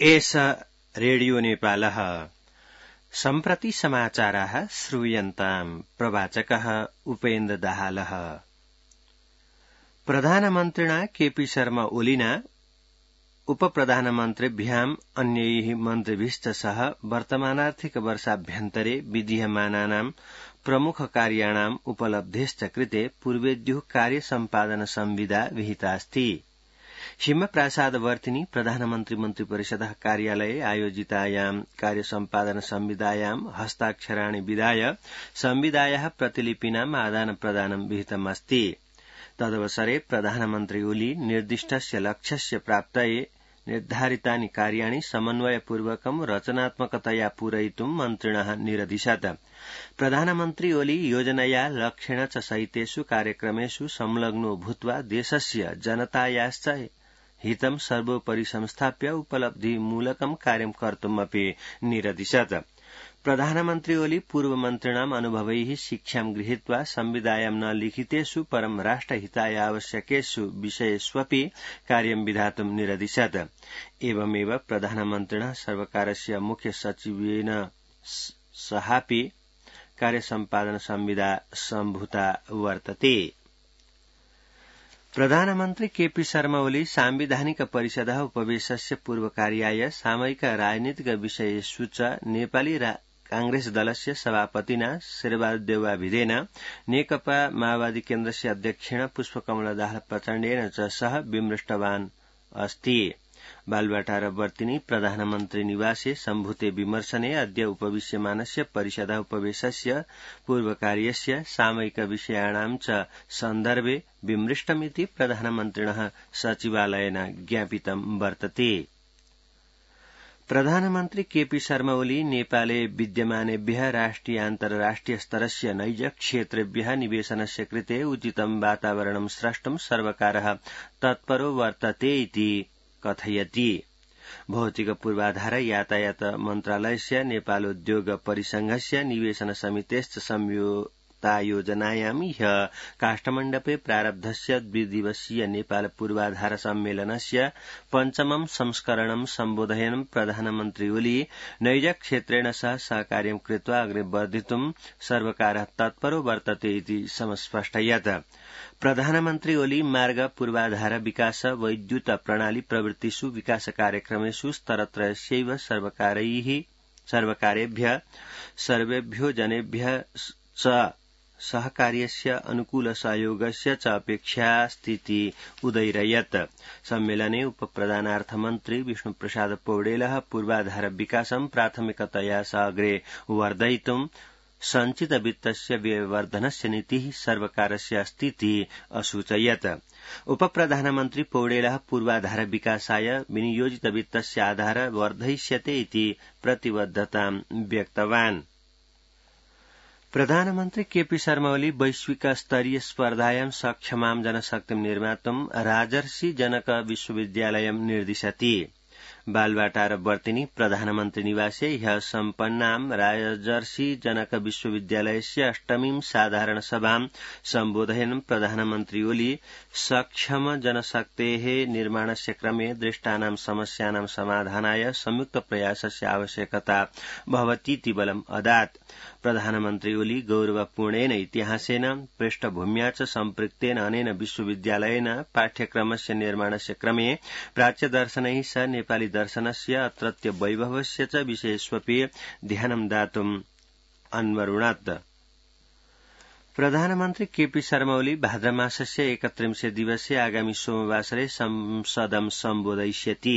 एष रेडियो नेपालः सम्प्रति समाचाराः श्रूयन्ताम् प्रवाचकः उपेन्द्र दाहालः। प्रधानमन्त्रिणा केपी शर्मा ओलिना उपप्रधानमन्त्रिभ्याम् अन्यैः मन्त्रिभिश्च सह वर्तमानार्थिक वर्षाभ्यन्तरे विधीयमानानाम् प्रमुख कार्याणाम् उपलब्धेश्च कृते पूर्वेद्युः कार्यसम्पादन संविदा विहितास्ति। हिमप्रासादवर्तिनि प्रधानमन्त्री मन्त्रिपरिषदः कार्यालये आयोजितायाम् कार्यसम्पादन संविदायाम् हस्ताक्षराणि विधाय संविदायाः प्रतिलिपीनाम् आदानप्रदानं विहितमस्ति। तदवसरे प्रधानमन्त्री ओली निर्दिष्टस्य लक्ष्यस्य प्राप्तये निर्धारितानि कार्याणि समन्वयपूर्वकं रचनात्मकतया पूरयितुं मन्त्रिणः निरदिशत्। प्रधानमन्त्री ओली योजनया लक्ष्येण च सहितेषु कार्यक्रमेषु संलग्नो भूत्वा देशस्य जनतायाश्च हितं सर्वोपरि संस्थाप्य उपलब्धिमूलकं कार्यं कर्तुमपि निरदिशत्। प्रधानमन्त्री ओली पूर्वमन्त्रिणाम् अनुभवैः शिक्षां गृहीत्वा संविदायां न लिखितेषु परं राष्ट्रहिताय आवश्यकेषु विषयेष्वपि कार्यं विधातुं निरदिशत्। एवमेव प्रधानमन्त्रिणः सर्वकारस्य मुख्य सचिवेन सहापि कार्यसम्पादन संविदा सम्भूता वर्तते। प्रधानमन्त्री केपी शर्मा ओली सांविधानिक परिषदः उपवेशस्य पूर्वकार्याय सामयिक राजनीतिक विषयेषु च नेपाली कांग्रेस दलस्य सभापतिना शेरबहादुर नेकपा माओवादी केन्द्रस्य अध्यक्षेण पुष्पकमल दाहाल प्रचण्डेन च सह विमृष्टवान् अस्ति। बालुवाटारवर्तिनि प्रधानमन्त्री निवासे सम्भूते विमर्शने अद्य उपविश्यमानस्य परिषदः उपवेशस्य पूर्वकार्यस्य सामयिक विषयाणां च सन्दर्भे विमृष्टमिति प्रधानमन्त्रिणः सचिवालयेन ज्ञापितं वर्तते। प्रधानमन्त्री केपी शर्मा ओली नेपाले विद्यमानेभ्यः राष्ट्रियान्तर्राष्ट्रिय स्तरस्य नैज क्षेत्रेभ्यः निवेशनस्य कृते उचितं वातावरणं स्रष्टुं सर्वकारः तत्परो वर्तते इति कथयति। भौतिक पूर्वाधार यातायात मन्त्रालयस्य नेपालोद्योग परिसंघस्य निवेशन समितेश्च संयुक्तायोजनायां ह्यः काष्ठमण्डपे प्रारब्धस्य द्विदिवसीय नेपाल पूर्वाधार सम्मेलनस्य पञ्चमं संस्करणं सम्बोधयन् प्रधानमन्त्री ओली नैज क्षेत्रेण सह सहकार्यं कृत्वा अग्रे वर्धितुं सर्वकारः तत्परो वर्तते इति समस्पष्टयत्। प्रधानमन्त्री ओली मार्ग पूर्वाधार विकास वैद्युत प्रणाली प्रवृत्तिषु विकास कार्यक्रमेषु स्तरत्रयस्यैव सर्वकारेभ्यः सर्वेभ्यो जनेभ्यः च सहकार्यस्य अनुकूल सहयोगस्य च अपेक्षास्तीति उदयिरयत्। सम्मेलने उपप्रधानार्थमन्त्री विष्णुप्रसाद पौडेलः पूर्वाधार विकासं प्राथमिकतया अग्रे वर्धयितुं सञ्चित वित्तस्य व्ययवर्धनस्य नीतिः सर्वकारस्य अस्तीति असूचयत्। उपप्रधानमन्त्री पौडेलः पूर्वाधार विकासाय विनियोजित वित्तस्य आधार वर्धयिष्यते इति प्रतिबद्धतां व्यक्तवान्। प्रधानमन्त्री केपी शर्मा ओली वैश्विक स्तरीय स्पर्धायां सक्षमां जनशक्तिं निर्मातुं राजर्षि जनक विश्वविद्यालयं निर्दिशति। बालुवाटारवर्तिनि प्रधानमन्त्री निवासे ह्यः सम्पन्नां राजर्षि जनक विश्वविद्यालयस्य अष्टमीं साधारण सभां सम्बोधयन् प्रधानमन्त्री ओली सक्षम जनशक्तेः निर्माणस्य क्रमे दृष्टानां समस्यानां समाधानाय संयुक्त प्रयासस्य आवश्यकता भवतीति बलम् अदात्। प्रधानमन्त्री ओली गौरवपूर्णेन इतिहासेन पृष्ठभूम्या च सम्पृक्तेन अनेन विश्वविद्यालयेन पाठ्यक्रमस्य निर्माणस्य क्रमे प्राच्यदर्शनैः सह नेपाली दर्शनस्य अत्रत्य वैभवस्य च विषयेष्वपि ध्यानं दातुम् अन्वरुणत्। प्रधानमन्त्री केपी शर्मा ओली भाद्रमासस्य 31 दिवसे आगामी सोमवासरे संसदं सम्बोधयिष्यति।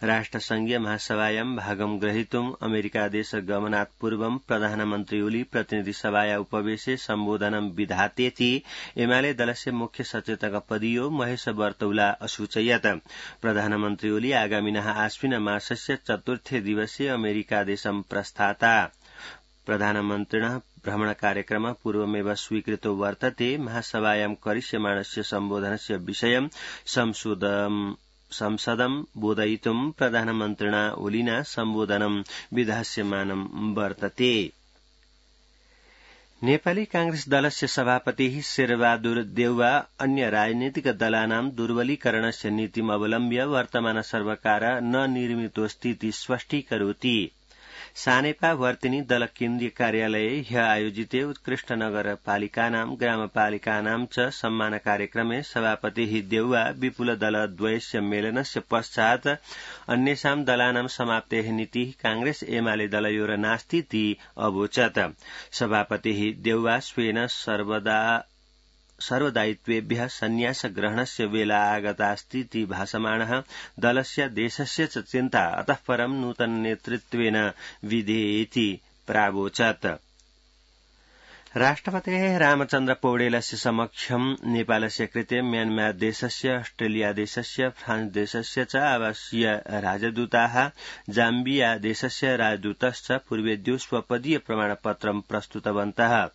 राष्ट्रसंघीय महासभायां भागं ग्रहीतुम् अमेरिकादेश गमनात् पूर्वं प्रधानमन्त्री ओली प्रतिनिधिसभाया उपवेशे सम्बोधनं विधातेति एमाले दलस्य मुख्य सचेतक पदीयो महेश बर्तौला असूचयत्। प्रधानमन्त्री ओली आगामिनः आश्विन मासस्य 4थे दिवसे अमेरिकादेशं प्रस्थाता। प्रधानमन्त्रिणः भ्रमणकार्यक्रमः पूर्वमेव स्वीकृतो वर्तते। महासभायां करिष्यमाणस्य सम्बोधनस्य विषयं संसदं बोधयितुं प्रधानमन्त्रिणा ओलिना सम्बोधनं विधास्यमानं वर्तते। नेपाली कांग्रेस दलस्य सभापतिः शेरबहादुर देउवा अन्य राजनीतिक दलानां दुर्बलीकरणस्य नीतिम् अवलम्ब्य वर्तमान सर्वकार न निर्मितोऽस्तीति स्पष्टीकरोति। सानेपा वर्तिनी दल केन्द्रीय कार्यालये ह्य आयोजिते उत्कृष्ट नगरपालिकानां ग्रामपालिकानां च सम्मान कार्यक्रमे सभापतिः देउवा विपुल दलद्वयस्य मेलनस्य पश्चात् अन्येषां दलानां समाप्तेः नीतिः कांग्रेस एमाले दलयोर नास्तीति अवोचत्। सभापतिः देउवा स्वेन सर्वदायित्वेभ्यः संन्यास ग्रहणस्य वेला आगतास्तीति भासमाणः दलस्य देशस्य च चिन्ता अतः परं नूतन नेतृत्वेन विधेयेति प्रावोचत्। राष्ट्रपतेः रामचन्द्र पौडेलस्य समक्षं नेपालस्य कृते म्यानमार देशस्य ऑस्ट्रेलिया देशस्य फ्रांस देशस्य च आवासीय राजदूताः जाम्बिया देशस्य राजदूतश्च पूर्वेद्यो स्वपदीय प्रमाणपत्रं प्रस्तुतवन्तः।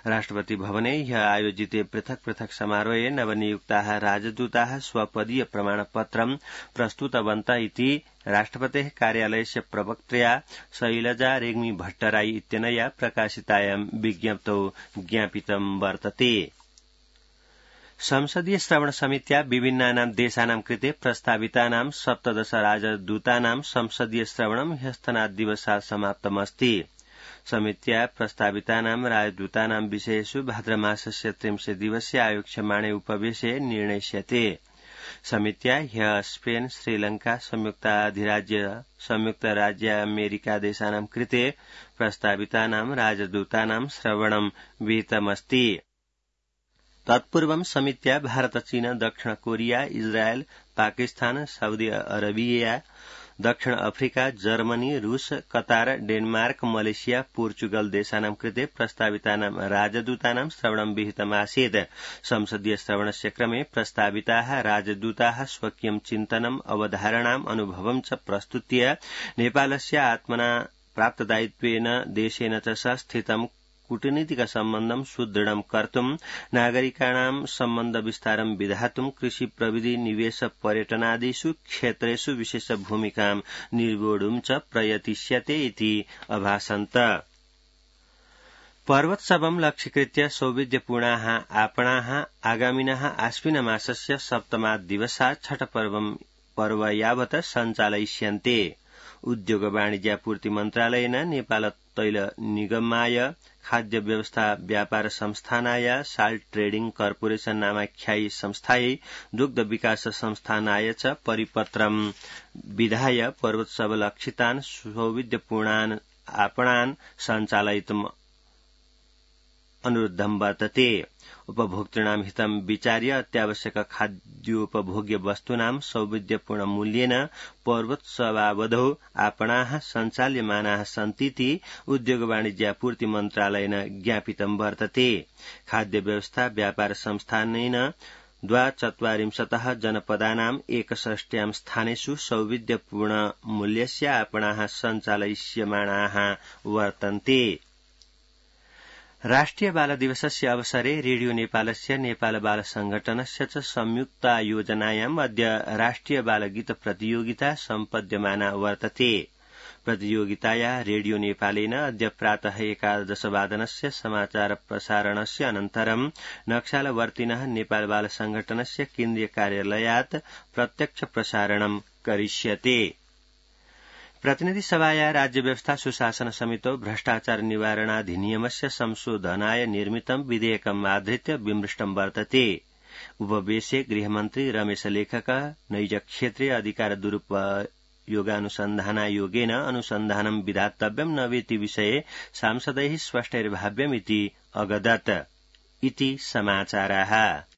राष्ट्रपति भवने ह्यः आयोजिते पृथक् पृथक् समारोहे नवनियुक्ताः राजदूताः स्वपदीय प्रमाणपत्रं प्रस्तुतवन्त इति राष्ट्रपतेः कार्यालयस्य प्रवक्त्र्या शैलजा रेग्मी भट्टराई इत्यनया प्रकाशितायां विज्ञप्तौ ज्ञापितं वर्तते। संसदीय श्रवण समित्या विभिन्नानां देशानां कृते प्रस्तावितानां 17 राजदूतानां संसदीय श्रवणं ह्यस्तनाद्दिवसात् समाप्तमस्ति। समित्या प्रस्तावितानां राजदूतानां विषयेषु भाद्रमासस्य 30 दिवसे आयोक्ष्यमाणे उपवेशे निर्णयस्यते। समित्या ह्यः स्पेन, श्रीलंका, संयुक्त राज्य अमेरिका देशानां कृते प्रस्तावितानां राजदूतानां श्रवणं विहितमस्ति। तत्पूर्वं समित्या भारत, चीन, दक्षिण Korea, Israel, Pakistan, Saudi Arabia, दक्षिण अफ्रिका, जर्मनी, रूस, कतार, डेनमार्क, मलेशिया, पोर्चुगल देशानां कृते प्रस्तावितानां राजदूतानां श्रवणं विहितमासीत्। संसदीय श्रवणस्य क्रमे प्रस्ताविताः राजदूताः स्वकीयं चिन्तनम्, अवधारणाम्, अनुभवं च प्रस्तुत्य नेपालस्य आत्मना प्राप्तदायित्वेन देशेन च सह स्थितं कूटनीतिक सम्बन्धं सुदृढं कर्तुं, नागरिकाणां सम्बन्ध विस्तारं विधातुं, कृषि, प्रविधि, निवेश, पर्यटनादिषु क्षेत्रेषु विशेष भूमिकां निर्वोढुं च प्रयतिष्यते इति अभाषन्त। पर्वोत्सवं लक्ष्यीकृत्य सौविध्यपूर्णाः आपणाः आगामिनः आश्विनमासस्य 7 दिवसात् छठ पर्व यावत् सञ्चालयिष्यन्ते। उद्योग वाणिज्यापूर्ति मन्त्रालयेन नेपाल तैल निगमाय, खाद्य व्यवस्था व्यापार संस्थानाय, साल्ट ट्रेडिंग कर्पोरेशन नामाख्यायी संस्थायै, दुग्ध विकास संस्थानाय च परिपत्रं विधाय पर्वोत्सव लक्षितान् सौविध्यपूर्णान् आपणान् सञ्चालयितुम् अनुरुद्धं वर्तते। उपभोक्तॄणां हितं विचार्य अत्यावश्यक खाद्योपभोग्य वस्तूनां सौविध्यपूर्ण मूल्येन पर्वोत्सवावधौ आपणाः सञ्चाल्यमानाः सन्तीति उद्योग वाणिज्यापूर्ति मन्त्रालयेन ज्ञापितं वर्तते। खाद्य व्यवस्था व्यापार संस्थानेन 42 जनपदानां 61 स्थानेषु सौविध्यपूर्ण मूल्यस्य आपणाः सञ्चालयिष्यमाणाः वर्तन्ते। राष्ट्रिय बाल दिवसस्य अवसरे रेडियो नेपालस्य नेपाल बाल संघटनस्य च संयुक्तायोजनायाम् अद्य राष्ट्रिय बालगीत प्रतियोगिता सम्पद्यमाना वर्तते। प्रतियोगितायाः रेडियो नेपालेन अद्य प्रातः 11 वादनस्य समाचार प्रसारणस्य अनन्तरं नक्सालवर्तिनः नेपाल बाल संघटनस्य केन्द्रीय कार्यालयात् प्रत्यक्ष प्रसारणं करिष्यते। प्रतिनिधि सभाया राज्य व्यवस्था सुशासन समितौ भ्रष्टाचार निवारणाधिनियमस्य संशोधनाय निर्मितं विधेयकम् आधृत्य विमृष्टं वर्तते। उपवेशे गृहमन्त्री रमेश लेखकः नैजक्षेत्रे अधिकार दुरुपयोगानुसन्धानायोगेन अनुसन्धानं विधातव्यं न वेति विषये सांसदैः स्पष्टैर्भाव्यमिति अगदत् इति समाचाराः।